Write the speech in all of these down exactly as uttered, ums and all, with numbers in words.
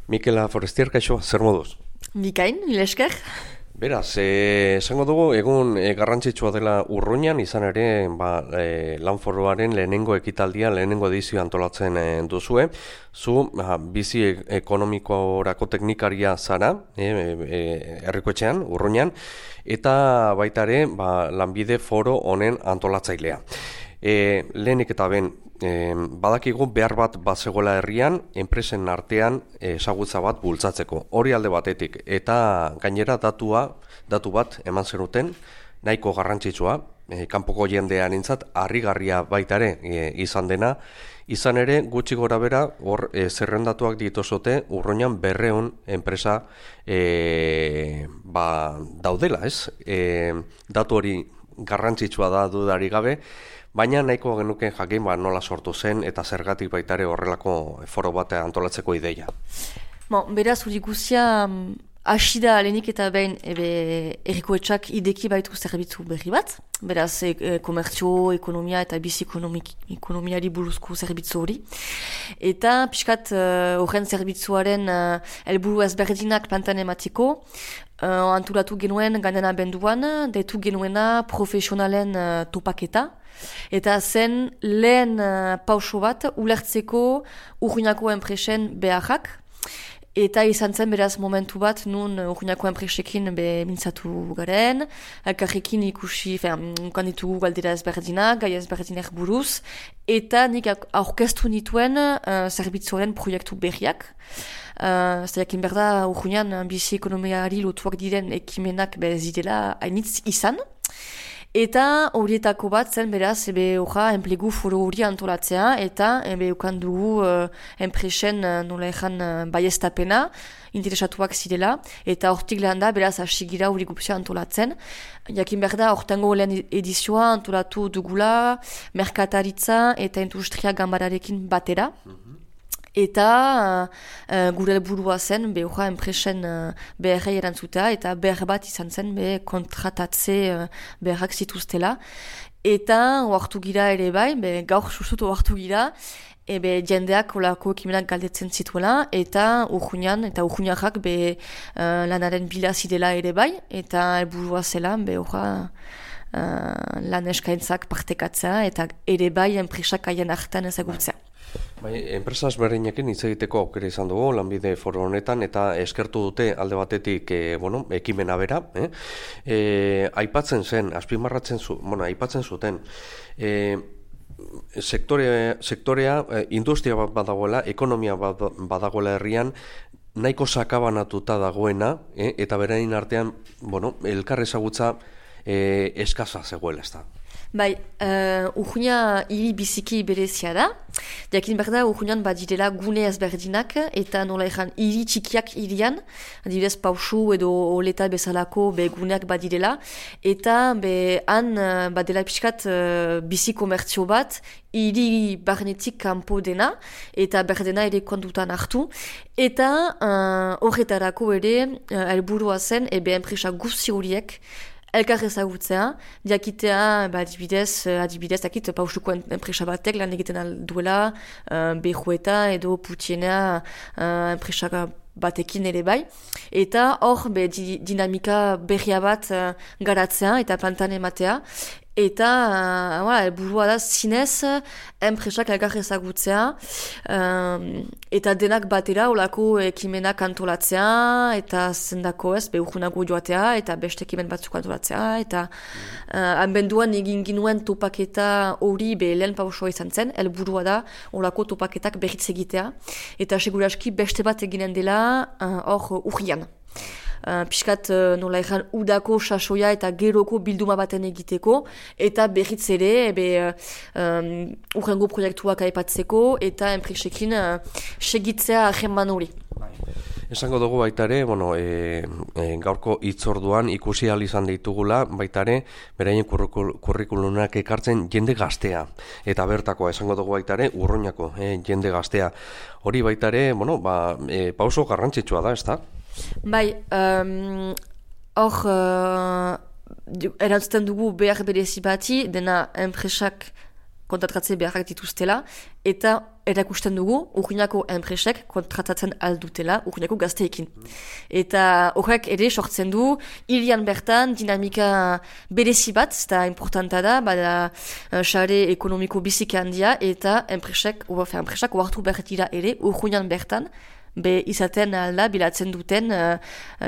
Mikela Forestier, kaixo, zer moduz? Bikain, mila esker. Beraz, eh, esango dugu, egun eh, garrantzitsua dela Urruñan, izan ere, ba, eh, Lanforoaren lehenengo ekitaldia, lehenengo edizio antolatzen eh, duzue. Zu, ba, bizi ekonomikorako teknikaria zara, eh, eh, herrikoetxean, Urruñan, eta baita ere, ba, lanbide foro honen antolatzailea. E, lehenik eta ben, e, badakigu behar bat bazegoela herrian, enpresen artean ezagutza bat bultzatzeko. Hori alde batetik, eta gainera datua, datu bat eman zenuten, nahiko garrantzitsua, e, kanpoko jendearentzat harrigarria baita ere e, izan dena, izan ere gutxi gora bera, hor e, zerrendatuak dituzote Urruñan berreun enpresa e, ba, daudela, ez? E, datu hori garrantzitsua da dudarik gabe, baina nahiko genuken jakin ba, nola sortu zen eta zergatik baitare horrelako foro bat antolatzeko ideia. Bon, beraz, hori guzia hasi da lehenik eta behin herrikoetxak ideki baitu zerbitzu berri bat. Beraz, e, e, komertzio, ekonomia eta bizi ekonomiari buruzko zerbitzu hori. Eta pixkat horren uh, zerbitzuaren uh, helburu ezberdinak plantan ematiko, uh, antolatu genuen gandena benduan, deitu genuena profesionalen uh, topaketa. Eta zen lehen uh, pauso bat ulertzeko Urruñako enpresen beharrak. Eta izan zen beraz momentu bat nun Urruñako enpresekin be mintzatu garen, elkarrekin ikusi, ukan ditugu galdera ezberdinak, gai ezberdinak buruz, eta nik aurkeztu nituen uh, zerbitzuaren proiektu berriak. Uh, Zaiakin berda Urruñan bizi ekonomiari lotuak diren ekimenak be zidela hainitz izan. Eta horietako bat zen beraz, ebe horra enplegu foro hori antolatzea, eta ebe ukan dugu uh, enpresen uh, nola ezan uh, baiestapena, interesatuak zirela, eta hortik lehen da, beraz, asigira hori gupzea antolatzen. Jakin behar da, hortengo lehen edizioa antolatu dugula, merkataritza eta industria gambararekin batera. Eta uh, gure helburua zen, be horra enpresen uh, beharrei erantzutea, eta behar bat izan zen, be kontratatze uh, beharrak zituztela. Eta oartu gira ere bai, be gaur susut oartu gira, ebe jendeak olako ekimenak galdetzen zituela, eta Urruñan, eta Urruñarrak be uh, lanaren bila zidela ere bai, eta helburua zela, be horra uh, lan eskaintzak partekatzea, eta ere bai enpresak haien hartan ezagutzea. Bai, enpresa ezberdinekin hitz egiteko aukera izan dugu lanbide foro honetan eta eskertu dute alde batetik e, bueno, ekimena bera, eh? E, aipatzen zen, azpimarratzen zu, bueno, aipatzen zuten e, sektore, sektorea, e, industria bat badagoela, ekonomia bat badagoela herrian, nahiko sakabanatuta dagoena, eh? Eta berain artean, bueno, elkar ezagutza e, eskaza zegoela, ez da. Bai, uh, Urruña hiri biziki berezia da. Jakin behar da, Urruñan badirela gune ezberdinak, eta nola ezan hiri txikiak hirian, adibidez pausu edo oleta bezalako be guneak badirela, eta be han uh, badela pixkat uh, bizi komertzio bat, hiri barnetik kanpo dena, eta berdena ere kontutan hartu, eta horretarako uh, ere uh, helburua zen, ebe enpresa guzti horiek, elkar ezagutzea, diakitea, ba, adibidez, adibidez, dakit, pausuko enpresa batek lan egiten alduela, uh, behueta edo putiena uh, enpresa batekin ere bai. Eta hor, be, di, dinamika berria bat uh, garatzea eta plantan ematea. Eta, uh, voilà, burua da, zinez, enpresak elkar ezagutzea, um, eta denak batera, olako ekimenak antolatzea, eta zendako ez, behurgunako joatea, eta beste ekimen batzuk antolatzea, eta uh, hanbenduan egin ginuen topaketa hori be lehen pausoa izan zen, helburua da, olako topaketak berriz egitea, eta seguraski beste bat eginen dela hor uh, urrian. Uh, piskat uh, nola ezan udako sasoia eta geroko bilduma baten egiteko, eta berriz ere ebe, um, urrengo proiektuak aipatzeko eta enpresekin uh, segitzea ahenman hori. Esango dugu baita ere, bueno, e, e, gaurko hitzorduan ikusi ahal izan ditugula baita ere, beraien kurrikulunak ekartzen jende gaztea. Eta bertakoa, esango dugu baita ere, Urruñako e, jende gaztea. Hori baita ere, bueno, ba, e, pauso garrantzitsua da, ez da? Bai, um, hor, uh, erantzuten dugu behar berezi bati, dena enpresak kontatratze beharrak dituztela, eta erakusten dugu Urruñako enpresek kontratatzen aldutela Urruñako gazteekin. Eta horrek ere sortzen du hirian bertan dinamika berezi bat, eta importanta da, bada sare ekonomiko biziki handia eta enpresek, uafe, enpresak oartu behar dira ere Urruñan bertan, be izaten alda bilatzen duten uh,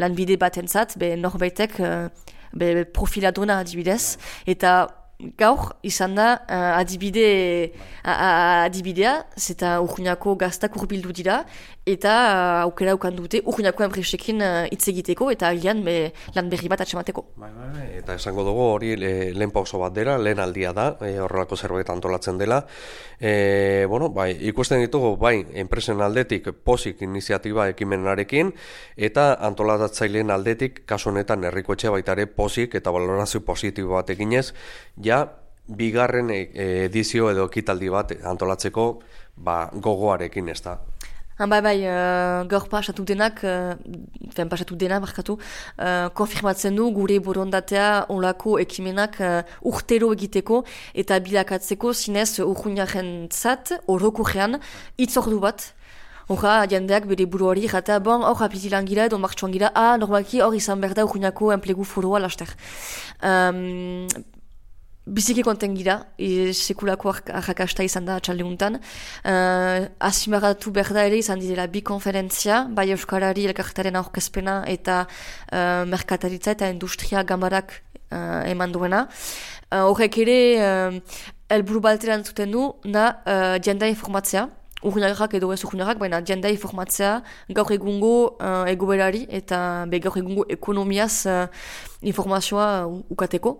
lanbide batentzat, be norbaitek uh, be profiladona adibidez, eta gaur izan da uh, adibide, uh, adibidea, zeta Urruñako gaztak urbildu dira, eta uh, aukera ukan dute Urruñako enpresekin hitz uh, egiteko, eta agian be, lan berri bat atxemateko. Bai, bai, bai. Eta esango dugu hori le, lehen pauso bat dela, lehen aldia da, e, horrelako zerbait antolatzen dela. E, bueno, bai, ikusten ditugu, bai, enpresen aldetik pozik iniziatiba ekimenarekin, eta antolatatzaileen aldetik, kasu honetan herrikoetxe baita ere pozik eta valorazio positibo bat eginez, ja, bigarren edizio edo ekitaldi bat antolatzeko ba, gogoarekin ez da. Han bai bai, uh, gaur pasatu denak, uh, fen pasatu dena markatu, uh, konfirmatzen du gure borondatea olako ekimenak uh, urtero egiteko eta bilakatzeko zinez Urruñaren zat, orokorrean, itzordu bat. Horra, jendeak bere buruari jata, bon, hor apitilan gira edo martxuan gira, ah, normalki hor izan behar da Urruñako enplegu foroa laster. Um, Biziki konten gira, e, sekulako arrakasta izan da atxaldeuntan. Uh, Azimaratu behar da ere izan dira bi konferentzia, bai Euskarari elkartaren aurkezpena eta uh, merkataritza eta industria gambarak uh, eman duena. Horrek uh, ere, uh, elburu balteran zuten du, na uh, jendea informatzea, Urruñarrak edo ez Urruñarrak, baina jendea informatzea gaur egungo uh, egoberari eta be gaur egungo ekonomiaz uh, informazioa ukateko.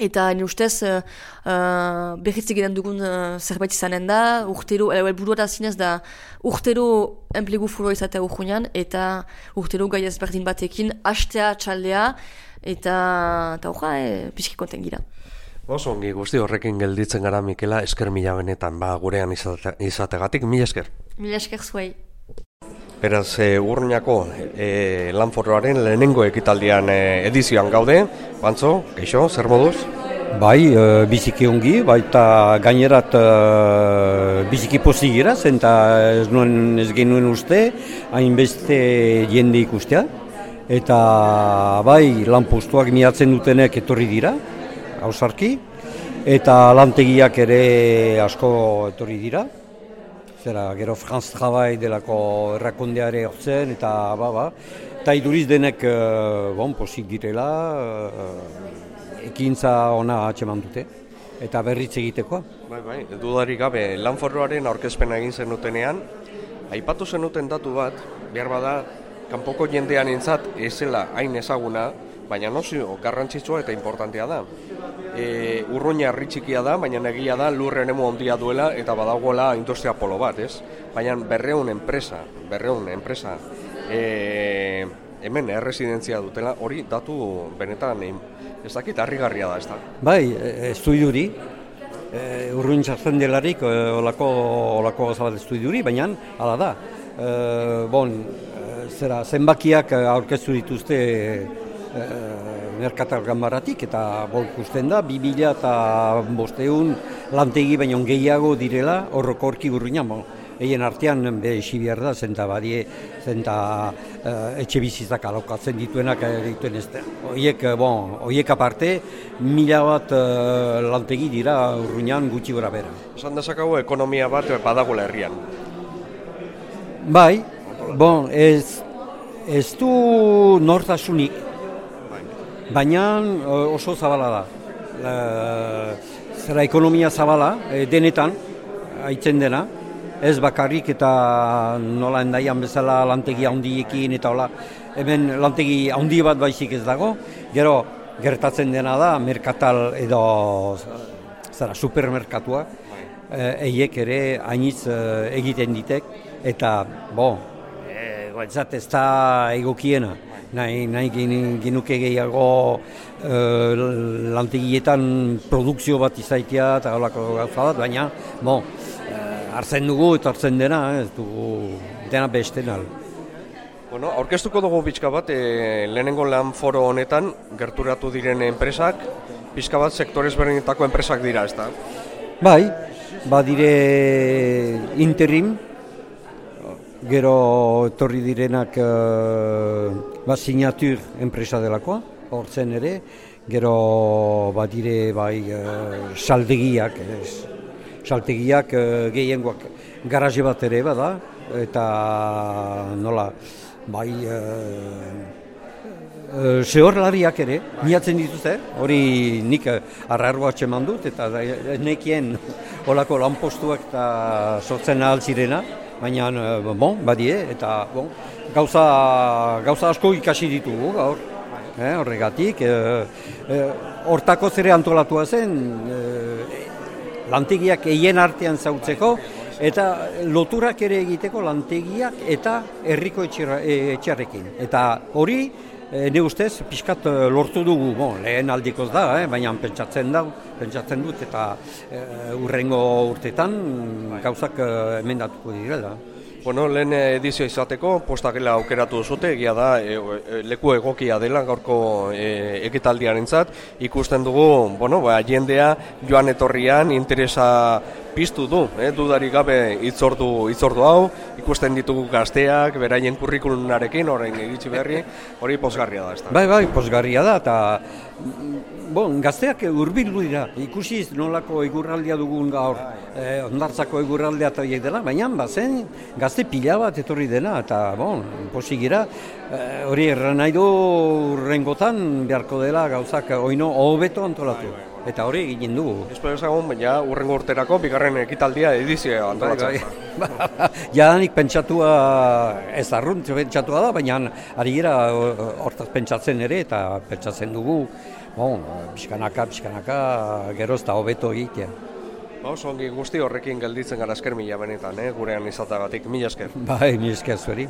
Eta ni ustez uh, uh, berriz egiten dugun uh, zerbait izanen da, urtero, helburua da zinez da urtero enplegu foroa izatea Urruñan, eta urtero gai ezberdin batekin hastea txaldea, eta eta horra, eh, pixki konten gira. Oso ongi guzti horrekin gelditzen gara, Mikela, esker mila benetan, ba, gurean izate, izategatik, mila esker. Mila esker zuei. Beraz, e, Urruñako e, lanforoaren lehenengo ekitaldian e, edizioan gaude. Bantzo, keixo, zer moduz? Bai, e, biziki ongi, baita gainerat e, biziki pozik gira, zenta ez, nuen, ez genuen uste, hainbeste jende ikustea. Eta bai, lanpostuak miatzen dutenek etorri dira, hausarki, eta lantegiak ere asko etorri dira. Zera, gero Franz Travail delako errakondeare hortzen, eta ba, ba. Eta iduriz denek, uh, bon, posik direla, uh, ekintza ona atxeman dute, eta berritz egitekoa. Bai, bai, dudarik gabe, lanforoaren aurkezpena egin zenutenean, aipatu zenuten datu bat, behar bada, kanpoko jendean entzat ezela hain ezaguna, baina nozio garrantzitsua eta importantea da. E, Urruña herri txikia da, baina egia da lur eremu handia duela eta badagoela industria polo bat, ez? Baina berreun enpresa, berreun enpresa, e, hemen erresidentzia dutela, hori datu benetan ez dakit harrigarria da, ez da? Bai, estudiuri, e, Urruñ sartzen delarik olako, olako gazabat estudiuri, baina hala da. E, bon, zera, zenbakiak aurkeztu dituzte e, merkatal ganbaratik, eta bo ikusten da, bi mila eta bosteun lantegi baino gehiago direla horrokorki Urruñan. Bon, eien artean be esi behar da, zenta badie, zenta e, etxe bizitzak alokatzen dituenak dituen ez da. Oiek, bon, oiek aparte, mila bat e, lantegi dira Urruñan gutxi gora bera. Esan dezakago ekonomia bat badagoela herrian. Bai, bon, ez, ez du nortasunik, baina oso zabala da. E, zera ekonomia zabala, e, denetan, haitzen dena, ez bakarrik eta nola endaian bezala lantegi handiekin eta hola, hemen lantegi handi bat baizik ez dago, gero gertatzen dena da, merkatal edo zera, supermerkatuak, eiek ere hainitz egiten ditek, eta, bo, e, ez da egokiena. Nahi, nahi genuke gehiago e, lantegietan produkzio bat izaitea eta holako gauza bat, baina bo, e, hartzen dugu eta hartzen dena, ez dugu dena beste nal. Bueno, aurkeztuko dugu pixka bat, e, lehenengo lan foro honetan gerturatu diren enpresak, pixka bat sektorez berdinetako enpresak dira, ez da? Bai, badire interim, gero etorri direnak uh, ba, sinatur enpresa delakoa, hortzen ere, gero badire bai uh, saltegiak, ez, saltegiak uh, gehiengoak garaje bat ere bada, eta nola, bai uh, Uh, Zehorlariak ere, miatzen dituzte, hori nik arrarroa atxeman dut, eta nekien olako lanpostuak eta sortzen ahal zirena, baina, uh, bon, badie, eta bon, gauza, gauza asko ikasi ditugu gaur, eh, horregatik, hortako uh, uh, zere antolatua zen, uh, lantegiak eien artean zautzeko, eta loturak ere egiteko lantegiak eta herriko etxarrekin, eta hori, E, ne ustez, pixkat lortu dugu, bon, lehen aldikoz da, eh, baina pentsatzen da, pentsatzen dut, eta e, urrengo urtetan gauzak emendatuko direla. Bueno, lehen edizio izateko, postakela aukeratu zute, egia da, e, e, leku egokia dela gaurko e, ekitaldiarentzat, ikusten dugu, bueno, ba, jendea joan etorrian interesa piztu du, eh, dudarik gabe hitzordu hitzordu hau, ikusten ditugu gazteak, beraien kurrikulunarekin, orain egitzi berri, hori pozgarria da, ezta? Bai, bai, pozgarria da, eta bon, gazteak hurbildu dira, ikusiz nolako egurraldia dugun gaur, eh, ondartzako egurraldea eta horiek dela, baina bazen gazte pila bat etorri dena, eta bon, posigira, eh, hori erran nahi du urrengotan beharko dela gauzak oino hobeto antolatu. Eta hori egin dugu. Espero ezagun, baina urrengo urterako bigarren ekitaldia edizioa antolatzen. Bai, bai. Jadanik pentsatua, ez arrunt pentsatua da, baina ari gira hortaz pentsatzen ere, eta pentsatzen dugu, bon, pixkanaka, pixkanaka, geroz eta hobeto egitea. Ba, oso ongi guzti horrekin gelditzen gara esker mila benetan, eh? Gurean izatagatik, mila esker. Bai, mila esker zueri.